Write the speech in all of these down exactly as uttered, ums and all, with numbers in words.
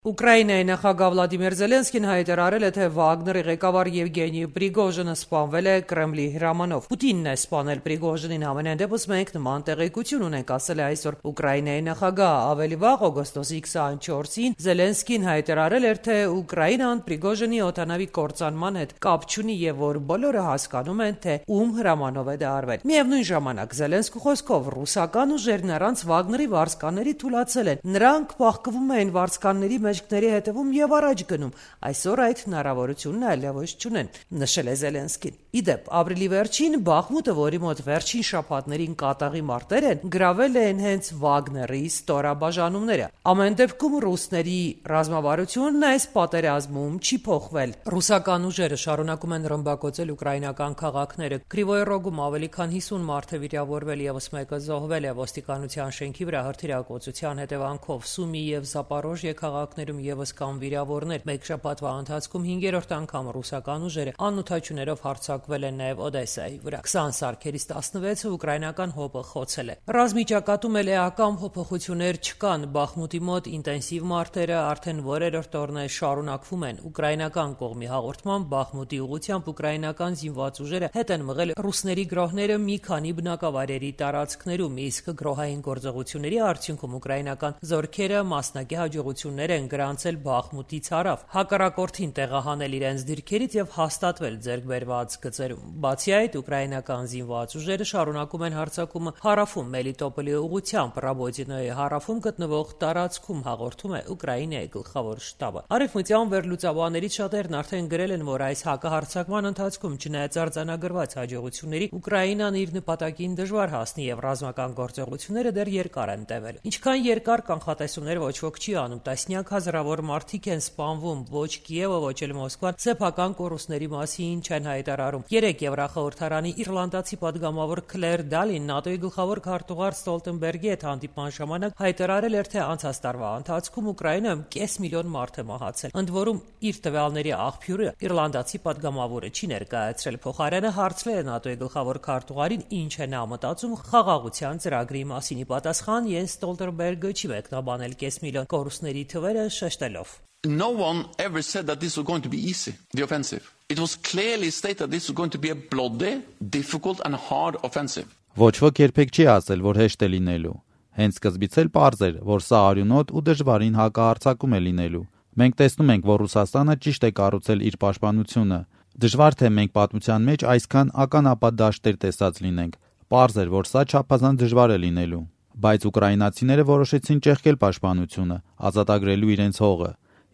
Ուկրաինայի նախագահ Վլադիմիր Զելենսկին հայտարարել է, թե Վագների ղեկավար Եվգենի Պրիգոժինը սպանվել է Կրեմլի հրամանով։ Պուտինն է սպանել Պրիգոժինին, համենայն դեպս մենք նման տեղեկություն ունենք, ասել է այսօր Ուկրաինայի նախագահը։ Ավելի վաղ, օգոստոսի քսաներկուսին, Զելենսկին հայտարարել էր, թե Ուկրաինան Պրիգոժինի օդանավի կործանման հետ կապ չունի եւ որ բոլորը հասկանում են, թե ում հրամանով է դա արվել։ Միևնույն ժամանակ Զելենսկու խոսքով ռուսական ուժերն առանց Վագների վարձկանների թուլացել են։ Նրանք փախկվում են վարձկանների մեջքների հետևում եւ առաջ գնում։ Այսօր այդ հնարավորությունն այլևս չունեն, նշել է Զելենսկին։ Իդեպ, ապրիլի վերջին Բախմուտը, որի մոտ վերջին շաբաթներին կատաղի մարտեր են, գրավել են հենց Վագների ստորաբաժանումները։ Ամեն դեպքում ռուսների ռազմավարությունն այս պատերազմում չի փոխվել։ Ռուսական ուժերը շարունակում են ռմբակոծել ուկրաինական քաղաքները։ Կրիվոյ Ռոգում ավելի քան հիսուն մարդ է վիրավորվել, եւս մեկը զոհվել է ոստիկանության շենքի վրա հրթիռակոծության հետևանքով։ Սումի եւ Զապորոժիե քաղաքներում եւս կան վիրավորներ։ Մեկ շաբաթվա ընթացքում հինգերորդ անգամ ռուսական ուժերը անօդաչուներով հարձակվել են նաեւ Օդեսայի վրա։ քսան սարքերից տասնվեցը ուկրաինական հոպը խոցել է։ Ռազմի ճակատում էլ էական փոփոխություններ չկան։ Բախմուտի մոտ ինտենսիվ մարտերը արդեն որերորդ օրն է շարունակվում են։ Ուկրաինական կողմի հաղորդմամբ Բախմուտի ուղղությամբ ուկրաինական զինված ուժերը հետ են մղել ռուսների գրոհները մի քանի բնակավայրերի տարածքներում, իսկ գրոհային գործողությունների արդյունքում ուկրաինական զորքերը մասնակի հաջողություններ են գրանցել Բախմուտից հարավ, հակառակորդին տեղահանել իրենց դիրքերից եւ հաստատվել ձեռքբերված գծերում։ Բացի այդ, ուկրաինական զինված ուժերը շարունակում են հարձակումը հարավում Մելիտոպոլի ուղղությամբ, Ռաբոտինոյի հարավում գտնվող տարածքում, հաղորդում է Ուկրաինայի գլխավոր շտաբը։ Արևմտյան վերլուծաբաններից շատերն արդեն գրել են, որ այս հակահարձակման ընթացքում, չնայած արձանագրված հաջողությունների, Ուկրաինան իր նպատակին դժվար հասնի եւ ռազմական գործողությունները դեռ երկար են տևել։ Ինչքան երկար կանխատեսումներ ոչ ոք չի անում, տասնյակ հազարավոր մարդիկ են սպանվում, ոչ Կիևը, ոչ էլ Մոսկվան սեփական կորուստների մասին չեն հայտարարում։ Երեք Եվրախորհրդարանի իռլանդացի падգամավոր Քլեր Դալին ՆԱՏՕ-ի գլխավոր քարտուղար Ստոլտենբերգի հետ հանդիպման ժամանակ հայտարարել էր, թե անցած տարվա ընթացքում Ուկրաինայում կես միլիոն մարդ է մահացել։ Ընդ որում, իր տվյալների աղբյուրը իռլանդացի падգամավորը չի ներկայացրել։ Փոխարենը հարցրել է ՆԱՏՕ-ի գլխավոր քարտուղարին, ինչ է նա մտածում խաղաղության ծրագրի մասին։ Ի պատասխան Յենս Ստոլտենբերգը չի մեկնաբանել կես միլիոն կորուստների թվերը, շեշտելով. No one ever said that this was going to be easy, the offensive. It was clearly stated that this was going to be a bloody, difficult and hard offensive. Ոչ ոք երբեք չի ասել, որ հեշտ է լինելու։ Հենց սկզբից էլ պարզ էր, որ սա արյունոտ ու դժվարին հակահարձակում է լինելու։ Մենք տեսնում ենք, որ Ռուսաստանը ճիշտ է կառուցել իր պաշտպանությունը։ Դժվար թե մենք պատմության մեջ այսքան ականապատ դաշտեր տեսած լինենք։ Պարզ էր, որ սա չափազանց դժվար է լինելու։ Բայց ուկրաինացիները որոշեցին ճեղքել պաշտպանությունը, ազատագրելու իրենց հողը,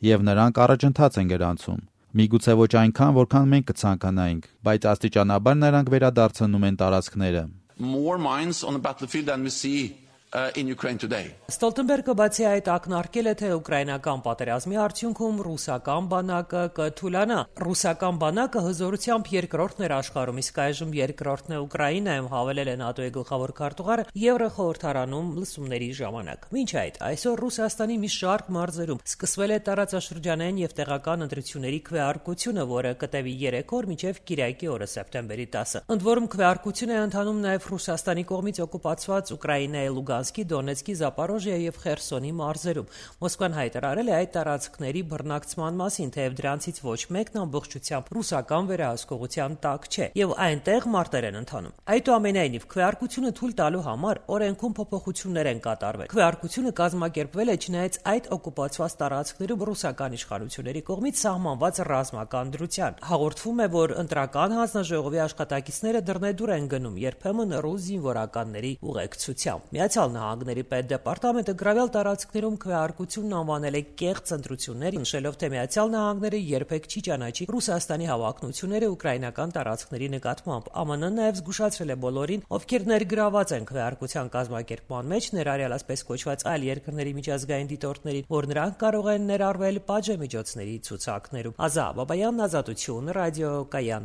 եւ նրանք առաջընթաց են գրանցում։ Միգուցե ոչ այնքան, որքան մենք կցանկանայինք, բայց աստիճանաբար նրանք վերադարձնում են տարածքները։ More mines on the battlefield than we see uh, in Ukraine today. Ստոլտենբերգը բացի այդ ակնարկել է, թե ուկրաինական պատերազմի արդյունքում ռուսական բանակը կթուլանա։ Ռուսական բանակը հզորությամբ երկրորդն էր աշխարհում, իսկ այժմ երկրորդն է Ուկրաինայում, հավելել է ՆԱՏՕ-ի գլխավոր քարտուղարը Եվրախորհրդարանում լսումների ժամանակ։ Մինչ այդ, այսօր Ռուսաստանի մի շարք մարզերում սկսվել է տարածաշրջանային եւ տեղական ընտրությունների քվեարկությունը, որը կտևի երեք օր մինչեւ Կիրակի օրը սեպտեմբերի տասը։ Ընդ որում քվեարկություն է ընթանում նաեւ Ռուսաստանի կողմից օկուպացված Ուկրաինայի Լուգանսկի, Դոնեցկի, Զապորոժիա եւ Խերսոնի մարզերում։ Մոսկվան հայտարարել է այդ տարածքների բռնակցման մասին, թեև դրանցից ոչ մեկն ամբողջությամբ ռուսական վերահսկողության տակ չէ եւ այնտեղ մարտեր են ընթանում։ Այդուամենայնիվ, քվեարկությունը թույլ տալու համար օրենքում փոփոխություններ են կատարվել։ Քվեարկությունը կազմակերպվել է չնայած այդ օկուպացված տարածքներում ռուսական իշխանությունների կողմից սահմանված ռազմական դրության։ Հաղորդվում է, որ ընտրական հանձնաժողովի աշխատակիցները դռնեդուր են գնում, երբեմն ռուս զինվորականների ուղեկցությամբ։ Միացյալ Նահանգների պետդեպարտամենտը գրավյալ տարածքներում քվեարկությունն անվանել է կեղծ ընտրություններ, նշելով, թե Միացյալ Նահանգները երբեք չի ճանաչի Ռուսաստանի հավակնությունները ուկրաինական տարածքների նկատմամբ։ ԱՄՆ-ն նաև զգուշացրել է բոլորին, ովքեր ներգրաված են քվեարկության կազմակերպման մեջ, ներառյալ ասպես կոչված այլ երկրների միջազգային դիտորդներին, որ նրանք կարող են ներառվել պատժամիջոցների ցուցակներում։ Ազա Բաբայան, Ազատություն, Ռադիո Կայան։